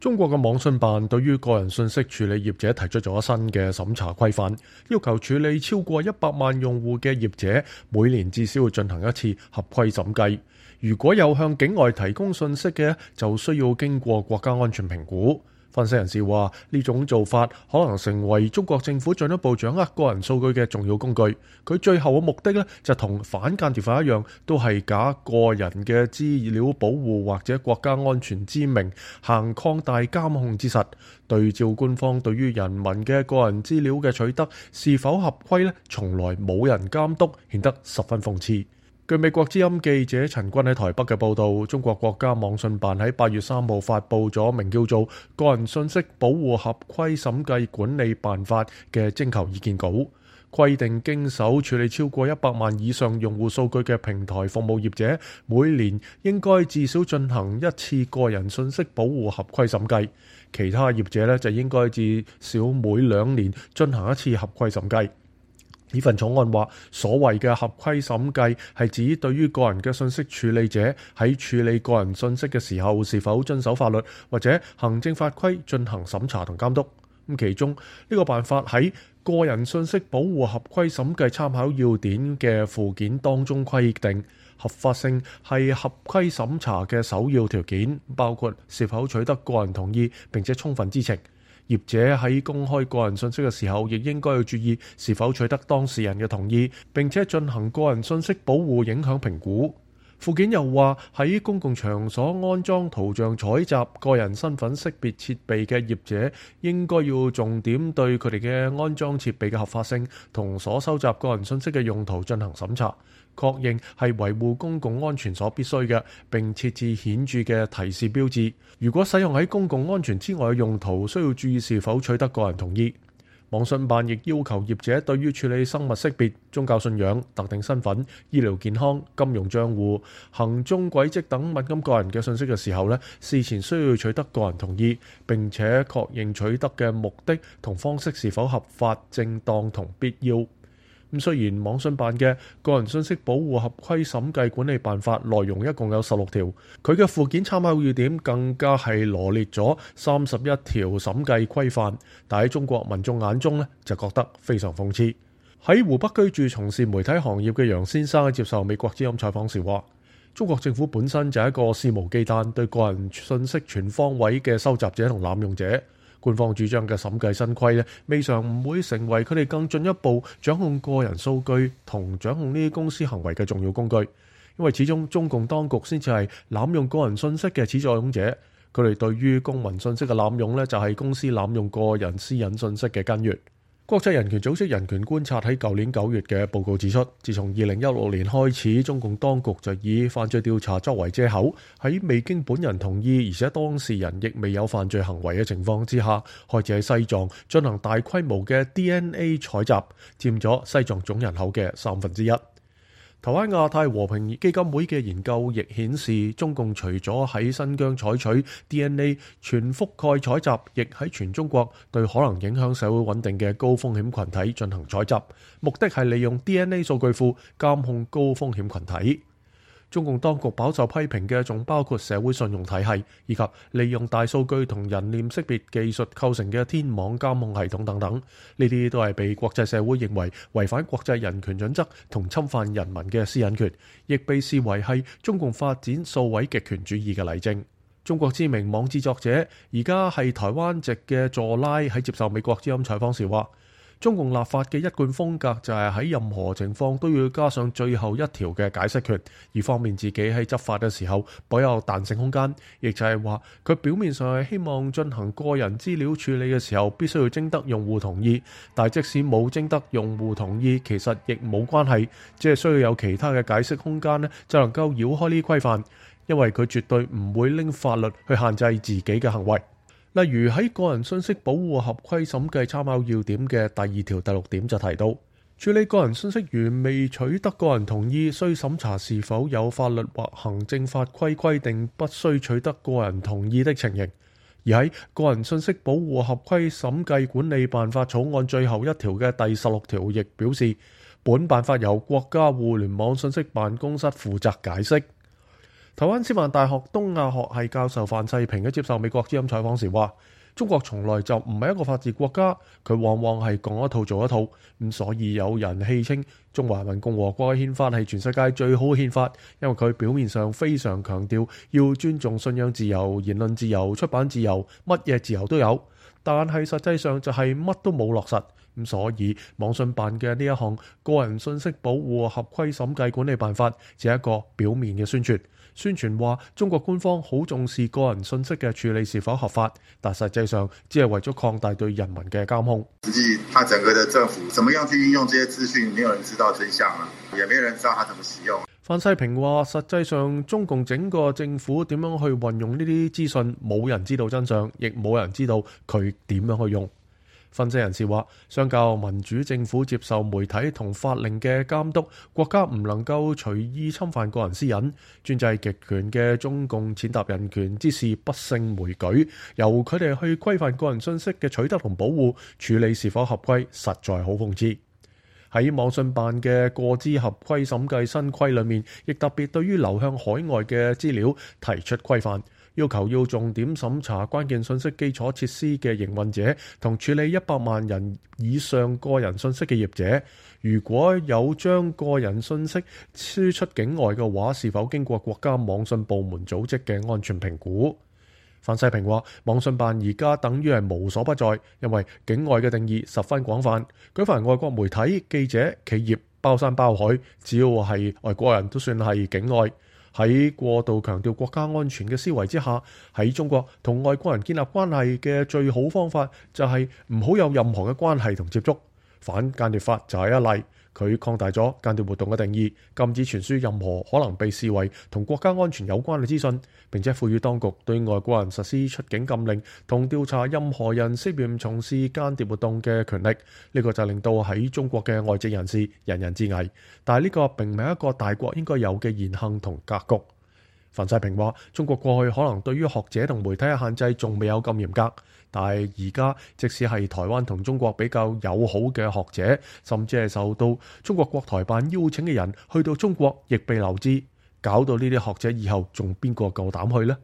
中國嘅網信辦對於個人信息處理業者提出咗新嘅審查規範，要求處理超過100萬用戶嘅業者每年至少要進行一次合規審計。如果有向境外提供信息嘅，就需要經過國家安全評估。分析人士話，呢種做法可能成為中國政府進一步掌握個人數據嘅重要工具。佢最後嘅目的呢，就同反間諜法一樣，都係假個人嘅資料保護或者國家安全之名，行擴大監控之實。對照官方對於人民嘅個人資料嘅取得是否合規呢，從來冇人監督，顯得十分諷刺。據美國之音記者陳軍喺台北嘅報導，中國國家網信辦喺8月3號發布咗名叫做《個人信息保護合規審計管理辦法》嘅徵求意見稿，規定經手處理超過100萬以上用戶數據嘅平台服務業者，每年應該至少進行一次個人信息保護合規審計，其他業者呢，就應該至少每2年進行一次合規審計。呢份草案話，所謂嘅合規審計係指對於個人嘅信息處理者喺處理個人信息嘅時候是否遵守法律或者行政法規進行審查同監督。咁其中呢個辦法喺個人信息保護合規審計參考要點嘅附件當中規定，合法性係合規審查嘅首要條件，包括是否取得個人同意並且充分知情。業者喺公開個人信息嘅時候，亦應該要注意是否取得當事人嘅同意，並且進行個人信息保護影響評估。附件又話，喺公共場所安裝圖像採集個人身份識別設備嘅業者，應該要重點對佢哋嘅安裝設備嘅合法性同所收集個人信息嘅用途進行審查，確認係維護公共安全所必須嘅，並設置顯著嘅提示標誌。如果使用喺公共安全之外嘅用途，需要注意是否取得個人同意。網信辦亦要求業者對於處理生物識別、宗教信仰、特定身份、醫療健康、金融帳戶、行蹤軌跡等敏感個人嘅信息嘅時候呢，事前需要取得個人同意，並且確認取得嘅目的同方式是否合法、正當同必要。咁雖然網信辦嘅個人信息保護合規審計管理辦法內容一共有16條，佢嘅附件參考要點更加係羅列咗31條審計規範，但喺中國民眾眼中呢，就覺得非常諷刺。喺湖北居住從事媒體行業嘅楊先生喺接受美國之音採訪時話，中國政府本身就係一個肆無忌憚對個人信息全方位嘅收集者同濫用者。官方主張嘅審計新規呢，未嘗唔會成為佢哋更進一步掌控個人數據同掌控呢啲公司行為嘅重要工具，因為始終中共當局先至係濫用個人信息嘅始作俑者，佢哋對於公民信息嘅濫用呢，就係公司濫用個人私隱信息嘅根源。國際人權組織人權觀察喺舊年9月嘅報告指出，自從2016年開始，中共當局就以犯罪調查作為藉口，喺未經本人同意，而且當事人亦未有犯罪行為嘅情況之下，開始喺西藏進行大規模嘅 DNA 採集，佔咗西藏總人口嘅1/3。台灣亞太和平基金會嘅研究亦顯示，中共除咗喺新疆採取 DNA 全覆蓋採集，亦喺全中國對可能影響社會穩定嘅高風險群體進行採集，目的係利用 DNA 數據庫監控高風險群體。中共當局飽受批評嘅仲包括社會信用體系，以及利用大數據同人臉識別技術構成嘅天網監控系統等等。呢啲都係被國際社會認為違反國際人權準則同侵犯人民嘅私隱權，亦被視為係中共發展數位極權主義嘅例證。中國知名網誌作者而家係台灣籍嘅佐拉喺接受美國之音採訪時話，中共立法嘅一貫風格就係喺任何情況都要加上最後一條嘅解釋權，以方便自己喺執法嘅時候保有彈性空間。亦就係話，佢表面上係希望進行個人資料處理嘅時候必須要徵得用戶同意，但即使冇徵得用戶同意，其實亦冇關係，只係需要有其他嘅解釋空間呢，就能夠繞開呢規範，因為佢絕對唔會拎法律去限制自己嘅行為。例如喺個人信息保護合規審計參考要點嘅第2條第6點就提到，處理個人信息如未取得個人同意，需審查是否有法律或行政法規規定不需取得個人同意的情形。而喺個人信息保護合規審計管理辦法草案最後一條嘅第16條亦表示，本辦法由國家互聯網信息辦公室負責解釋。台灣師範大學東亞學系教授范世平喺接受美國之音採訪時話：中國從來就唔係一個法治國家，佢往往係講一套做一套。咁所以有人戲稱中華人民共和國嘅憲法係全世界最好嘅憲法，因為佢表面上非常強調要尊重信仰自由、言論自由、出版自由，乜嘢自由都有，但係實際上就係乜都冇落實。咁所以網信辦嘅呢一項個人信息保護合規審計管理辦法，只係一個表面嘅宣傳。宣傳話中國官方好重視個人信息嘅處理是否合法，但實際上只係為咗擴大對人民嘅監控。實際，他整個的政府怎麼樣去運用這些資訊，沒有人知道真相啊，也沒有人知道他怎麼使用。范世平話：實際上中共整個政府點樣去運用呢啲資訊，冇人知道真相，亦冇人知道佢點樣去用。分析人士話，相較民主政府接受媒體同法令嘅監督，國家唔能夠隨意侵犯個人私隱。專制極權嘅中共踐踏人權之事不勝枚舉，由佢哋去規範個人信息嘅取得同保護，處理是否合規，實在好諷刺。喺網信辦嘅個資合規審計新規裏面，亦特別對於流向海外嘅資料提出規範，要求要重點審查關鍵信息基礎設施嘅營運者同處理100萬人以上個人信息嘅業者，如果有將個人信息輸出境外嘅話，是否經過國家網信部門組織嘅安全評估？范世平話：網信辦而家等於係無所不在，因為境外嘅定義十分廣泛，舉凡外國媒體、記者、企業，包山包海，只要係外國人都算係境外。喺過度強調國家安全嘅思維之下，喺中國同外國人建立關係嘅最好方法就係唔好有任何嘅關係同接觸。反間諜法就係一例，佢擴大咗間諜活動嘅定義，禁止傳輸任何可能被視為同國家安全有關嘅資訊，並且賦予當局對外國人實施出境禁令同調查任何人涉嫌從事間諜活動嘅權力。呢個就令到喺中國嘅外籍人士人人自危，但係呢個並唔係一個大國應該有嘅言行同格局。范世平話：中國過去可能對於學者同媒體嘅限制仲未有咁嚴格，但係而家即使係台灣同中國比較友好嘅學者，甚至係受到中國國台辦邀請嘅人去到中國，亦被留置，搞到呢啲學者以後仲邊個夠膽去呢？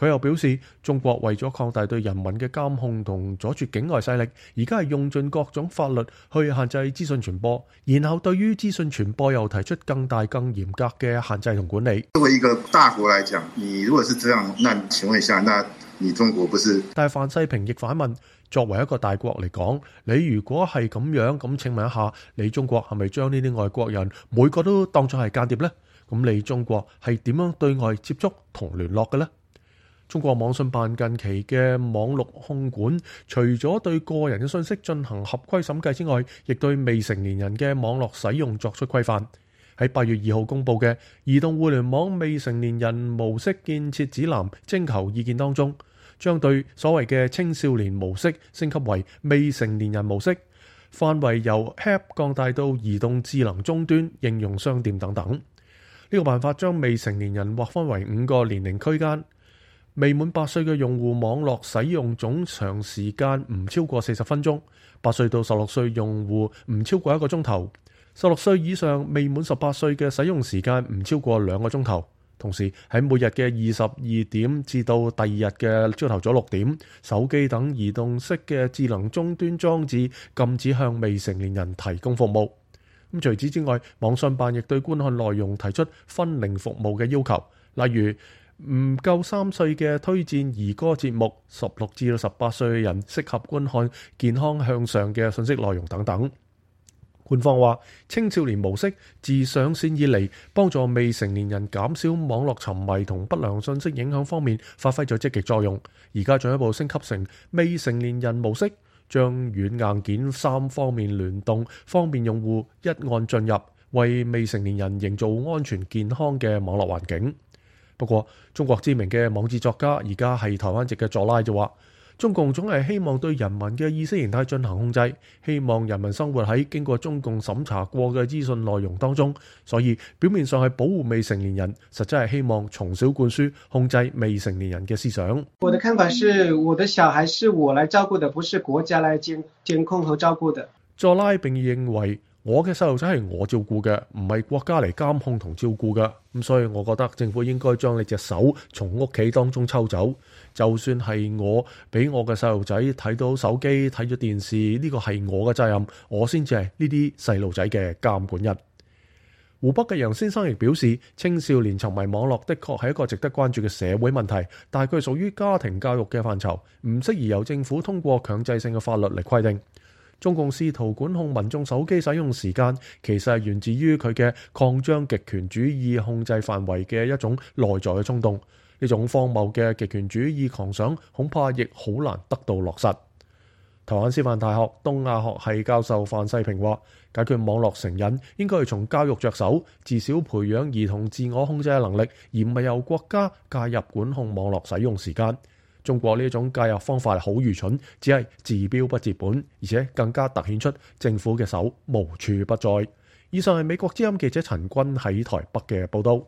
佢又表示，中國為咗擴大對人民嘅監控同阻絕境外勢力，而家係用盡各種法律去限制資訊傳播，然後對於資訊傳播又提出更大更嚴格嘅限制同管理。作為一個大國來講，你如果是這樣，那請問一下，那你中國不是？但係范世平亦反問，作為一個大國嚟講，你如果係咁樣，咁請問一下，你中國係咪將呢啲外國人每個都當作係間諜呢？咁你中國係點樣對外接觸同聯絡嘅呢？中國網信辦近期嘅網絡控管，除咗對個人嘅信息進行合規審計之外，亦對未成年人嘅網絡使用作出規範。喺8月2號公佈嘅《移動互聯網未成年人模式建設指南》徵求意見當中，將對所謂嘅青少年模式升級為未成年人模式，範圍由 App 降大到移動智能終端、應用商店等等。呢個辦法將未成年人劃分為5個年齡區間。未滿8歲嘅用戶網絡使用總長時間唔超過40分鐘，8歲到16歲用戶唔超過1個鐘頭，16歲以上未滿18歲嘅使用時間唔超過2個鐘頭。同時喺每日嘅22點至到第二日嘅朝頭早6點，手機等移動式嘅智能終端裝置禁止向未成年人提供服務。除此之外，網信辦亦對觀看內容提出分齡服務嘅要求，例如唔夠3歲嘅推薦兒歌節目，16至18歲嘅人適合觀看健康向上嘅信息內容等等。官方話，青少年模式自上線以嚟，幫助未成年人減少網絡沉迷同不良信息影響方面發揮咗積極作用。而家進一步升級成未成年人模式，將軟硬件3方面聯動，方便用戶一按進入，為未成年人營造安全健康嘅網絡環境。不過，中國知名嘅網誌作家而家係台灣籍嘅佐拉就話，中共總係希望對人民嘅意識形態進行控制，希望人民生活喺經過中共審查過嘅資訊內容當中，所以表面上係保護未成年人，實際係希望從小灌輸控制未成年人嘅思想。我的看法是，我的小孩是我來照顧的，不是國家來監控和照顧的。佐拉並認為，我嘅細路仔係我照顧嘅，唔係國家嚟監控同照顧嘅。咁所以我覺得政府應該將你隻手從屋企當中抽走。就算係我俾我嘅細路仔睇到手機、睇咗電視，呢個係我嘅責任，我先至係呢啲細路仔嘅監管人。湖北嘅楊先生亦表示，青少年沉迷網絡的確係一個值得關注嘅社會問題，但係佢屬於家庭教育嘅範疇，唔適宜由政府通過強制性嘅法律嚟規定。中共試圖管控民眾手機使用時間，其實係源自於佢嘅擴張極權主義控制範圍嘅一種內在嘅衝動。呢種荒謬嘅極權主義狂想，恐怕亦好難得到落實。台灣師範大學東亞學系教授范世平話，解決網絡成癮應該係從教育着手，至少培養兒童自我控制嘅能力，而唔係由國家介入管控網絡使用時間。中國呢種介入方法係好愚蠢，只係治標不治本，而且更加凸顯出政府嘅手無處不在。以上係美國之音記者陳君喺台北嘅報道。